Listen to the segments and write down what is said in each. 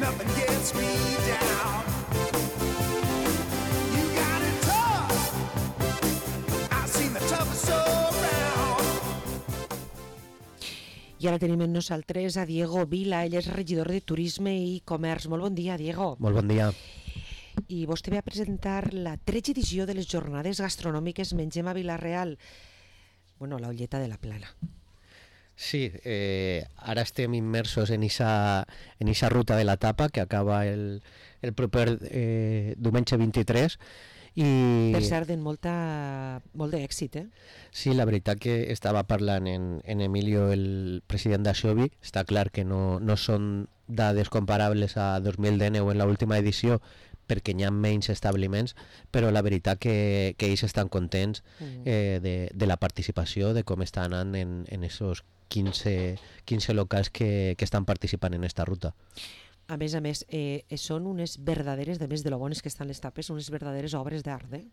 nothing gets me down. You got it tough. I've seen the toughest around. I ara tenim amb nosaltres a Diego Vila, ell és regidor de Turisme i Comerç. Molt bon dia, Diego. Molt bon dia. I vostè ve a presentar la 13ª edició de les jornades gastronòmiques Mengem a Vila-real. Bueno, la Olleta de la Plana. Sí, ara estem immersos en esa ruta de la tapa que acaba el proper diumenge 23 i... Per cert, molt d'èxit, eh? Sí, la veritat que estava parlant en Emilio, el president d'Aixobi. Està clar que no són dades comparables a 2019 en l'última edició perquè hi ha menys establiments, però la veritat que ells estan contents de la participació, de com està anant en esos 15 locals que estan participant en esta ruta. A més, són unes verdaderes, de més de lo bones que estan les tapes, unes verdaderes obres d'art, eh?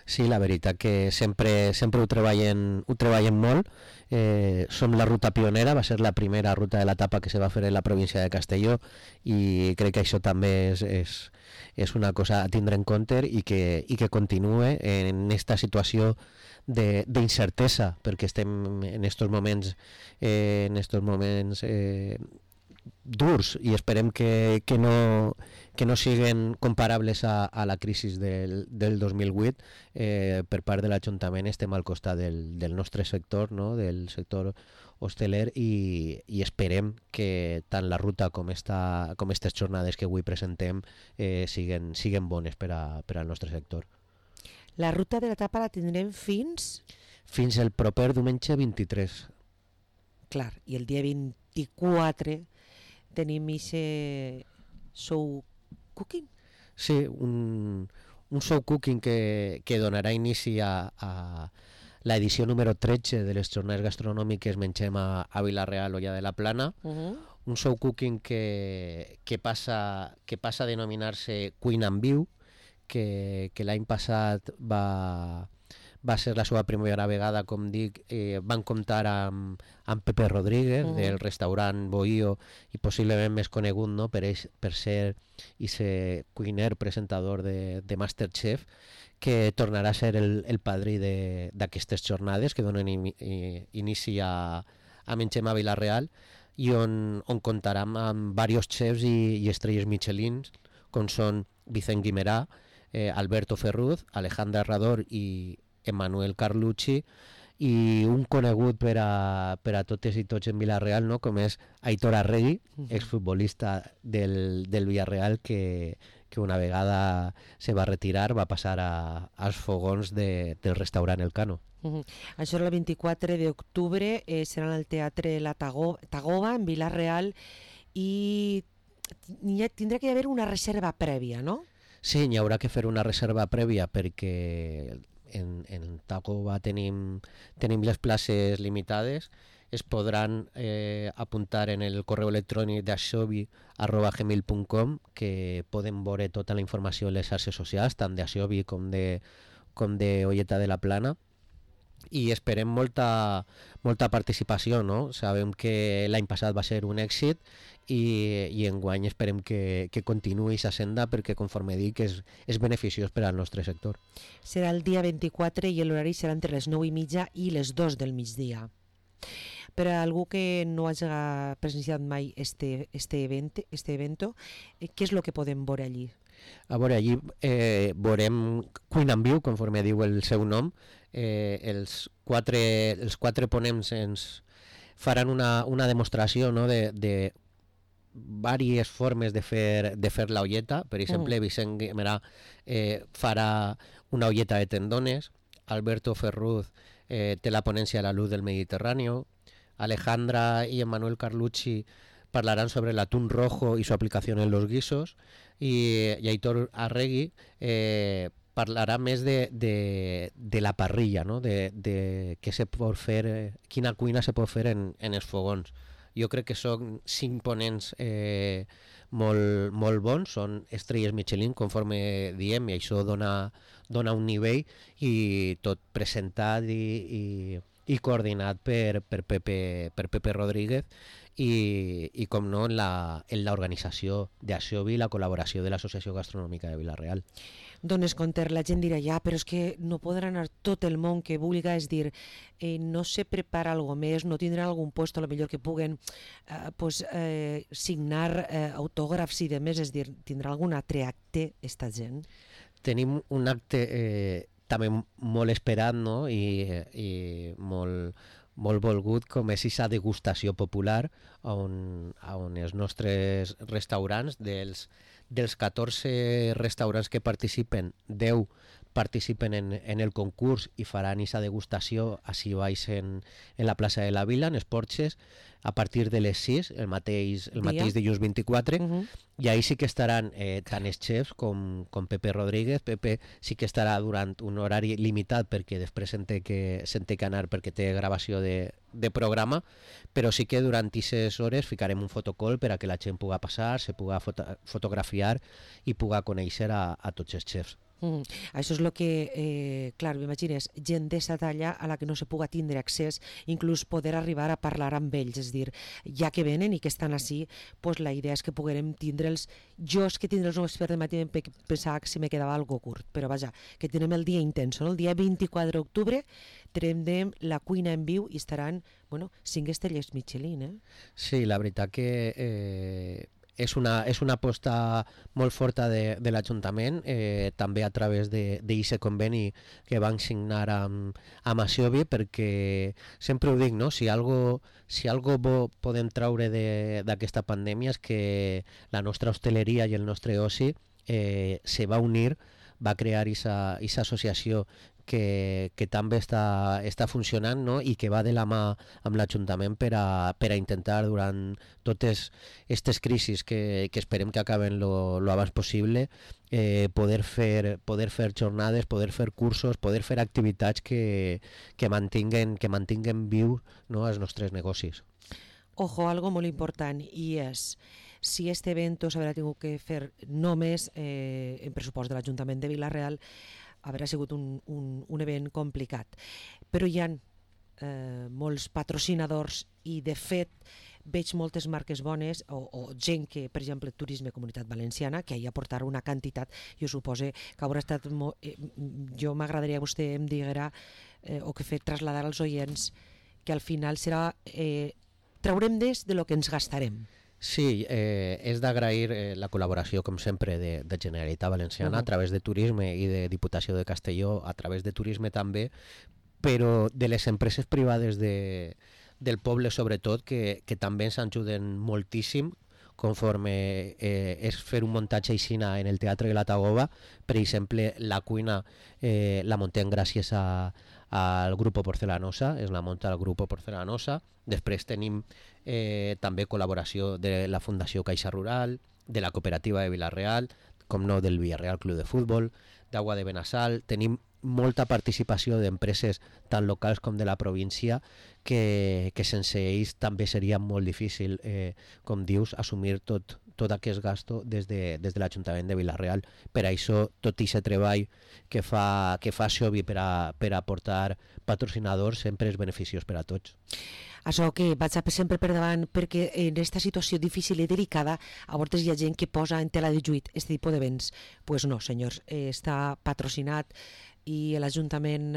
Sí, la veritat que sempre ho treballen molt. Som la ruta pionera, va ser la primera ruta de la tapa que se va fer en la província de Castelló i crec que això també és una cosa a tindre en compte i que continue en esta situació d'incertesa, perquè estem en estos moments durs i esperem que no siguin comparables a la crisi del 2008. Per part de l'Ajuntament estem al costat del nostre sector, no? Del sector hosteler i esperem que tant la ruta com aquestes jornades que avui presentem siguin bones per al nostre sector. La ruta de la tapa la tindrem fins el proper diumenge 23. Clar, i el dia 24 tenim ixe show cooking? Sí, un show cooking que donarà inici a l'edició número 13 de les jornades gastronòmiques Mengem a Vila-real, Olla de la Plana. Un show cooking que passa a denominar-se Cuina en Viu, que l'any passat va ser la seva primera vegada, com dic. Van comptar amb Pepe Rodríguez del restaurant Bohío i possiblement més conegut, no? per ser ese cuiner presentador de Masterchef, que tornarà a ser el padrí d'aquestes jornades que donen inici a Mengem a Vila-real i on comptarà amb diversos chefs i estrelles Michelin, com són Vicent Guimerà, Alberto Ferruz, Alejandra Herrador i Emmanuel Carlucci, i un conegut per a totes i tots en Vila-real, no? Com és Aitor Arregui, exfutbolista del Villarreal, que una vegada se va retirar, va passar als fogons del restaurant El Cano. Això era el 24 d'octubre, serà en el Teatre La Tagoba, en Vila-real, i tindrà que haver una reserva prèvia, no? Sí, n'hi haurà que fer una reserva prèvia perquè en Tagoba tenim les places limitades. Es podran apuntar en el correu electrònic d'aixobi@gmail.com, que poden veure tota la informació en les xarxes socials, tant d'Aixobi com de Olleta de la Plana, i esperem molta participació, no? Sabem que l'any passat va ser un èxit i enguany esperem que continuï aquesta senda, perquè, conforme dic, és beneficiós per al nostre sector. Serà el dia 24 i l'horari serà entre les 9:30 i les 2 del migdia. Per a algú que no hagi presenciat mai este evento, què és el que podem veure allí? A veure, allí veurem Cuina en Viu, conforme diu el seu nom. Els quatre ponents ens faran una demostració, no? de diverses formes de fer la olleta. Per exemple, Vicent Guimerà farà una olleta de tendones, Alberto Ferruz té la ponència de la luz del Mediterrani, Alejandra y Emmanuel Carlucci hablarán sobre el atún rojo y su aplicación en los guisos, y Aitor Arregui parlarà més de la parrilla, no? de què se pot fer, quina cuina se pot fer en els fogons. Jo crec que són 5 ponents molt bons, són estrelles Michelin, conforme diem, i això dona un nivell, i tot presentat i coordinat per Pepe Rodríguez, i com no, en l'organització d'Aixovi i la col·laboració de l'Associació Gastronòmica de Vila-real. Dones Conter, la gent dirà ja, però és que no podrà anar tot el món que vulga, és dir, no se prepara algo més, no tindran algun lloc a lo millor que puguen signar autògrafs i demés, és dir, tindrà algun altre acte esta gent? Tenim un acte també molt esperat, no? I molt volgut, com és aquesta degustació popular on els nostres restaurants, dels 14 restaurants que participen, 10 participen en el concurs i faran aquesta degustació així baix en la plaça de la Vila, en els porxes, a partir de les 6, el mateix dilluns 24, i ahí sí que estaran tant els xefs com Pepe Rodríguez. Pepe sí que estarà durant un horari limitat perquè després se'n té que anar perquè té gravació de programa, però sí que durant aquestes hores ficarem un fotocall per a que la gent puga passar, se puga fotografiar i puga conèixer a tots els xefs. Això és el que, clar, m'imagines, gent d'esta talla a la que no se puga tindre accés, inclús poder arribar a parlar amb ells, és dir, ja que venen i que estan així, pues la idea és que puguem tindre'ls, jo és que tindre'ls només per de matí pensava que si me quedava algo curt, però vaja, que tenim el dia intenso, no? El dia 24 d'octubre tindrem la cuina en viu i estaran, 5 estrelles Michelin, Sí, la veritat que és una aposta molt forta de l'Ajuntament, també a través d'aquest conveni que van signar amb Aixovi, perquè sempre ho dic, no? Si algo bo podem traure d'aquesta pandèmia és que la nostra hostaleria i el nostre oci se va unir, va crear aquesta associació que també està funcionant, no? I que va de la mà amb l'Ajuntament per a intentar durant totes aquestes crisis que esperem que acaben lo abans possible, poder fer jornades, poder fer cursos, poder fer activitats que mantinguen viu, no, els nostres negocis. Ojo, algo molt important, i és si este evento s'haurà tingut que fer només en pressupost de l'Ajuntament de Vila-real, haurà sigut un event complicat. Però hi ha molts patrocinadors i, de fet, veig moltes marques bones o gent que, per exemple, Turisme Comunitat Valenciana, que hi aportarà una quantitat. Jo suposo que haurà estat... jo m'agradaria que vostè em diguera o que fet traslladar als oients que al final serà... traurem des de lo que ens gastarem. Sí, és d'agrair la col·laboració, com sempre, de Generalitat Valenciana a través de Turisme i de Diputació de Castelló a través de Turisme també, però de les empreses privades del poble, sobretot, que també ens ajuden moltíssim conforme és fer un muntatge aixina en el Teatre de la Tagoba. Per exemple, la cuina la muntem gràcies al Grupo Porcelanosa, és la munta el Grupo Porcelanosa. Després tenim també col·laboració de la Fundació Caixa Rural, de la Cooperativa de Vila-real, com no, del Villarreal Club de Futbol, d'Aigua de Benassal. Tenim molta participació d'empreses tant locals com de la província que sense ells també seria molt difícil, com dius, assumir tot aquest gasto des de l'Ajuntament de Vila-real. Per això tot aquest treball que fa Aixovi per a aportar patrocinadors sempre és beneficiós per a tots. Això que vaig sempre per davant, perquè en aquesta situació difícil i delicada a vegades hi ha gent que posa en tela de juit aquest tipus d'events. Pues no, senyors, està patrocinat i l'Ajuntament,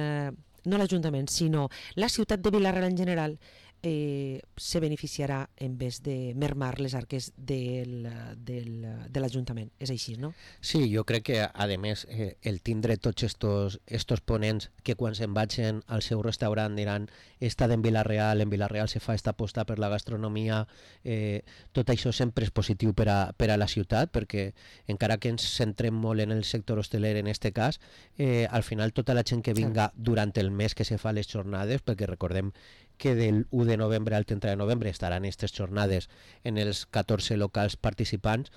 no l'Ajuntament, sinó la ciutat de Vila-real en general se beneficiarà en vez de mermar les arques de l'Ajuntament. És així, no? Sí, jo crec que, a més, el tindre tots estos ponents que quan se'n vagin al seu restaurant diran estat en Vila-real se fa esta aposta per la gastronomia, tot això sempre és positiu per a la ciutat, perquè encara que ens centrem molt en el sector hosteler en este cas, al final tota la gent que vinga durant el mes que se fa les jornades, perquè recordem que del 1 de novembre al 30 de novembre estaran aquestes jornades en els 14 locals participants,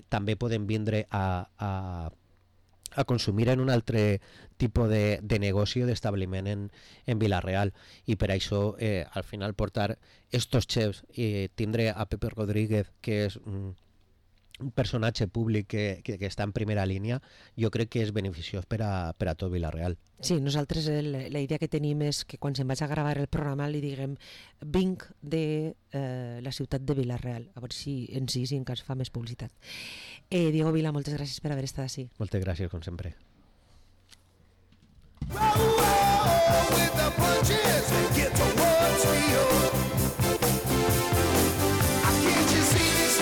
també poden vindre a consumir en un altre tipus de negoci o d'establiment en Vila-real, i per això al final portar estos xefs i tindre a Pepe Rodríguez, que és un personatge públic que està en primera línia, jo crec que és beneficiós per a tot Vila-real. Sí, nosaltres la idea que tenim és que quan se'n vaig a gravar el programa li diguem vinc de la ciutat de Vila-real, a veure si ens encara fa més publicitat. Diego Vila, moltes gràcies per haver estat així. Moltes gràcies, com sempre. Raúl!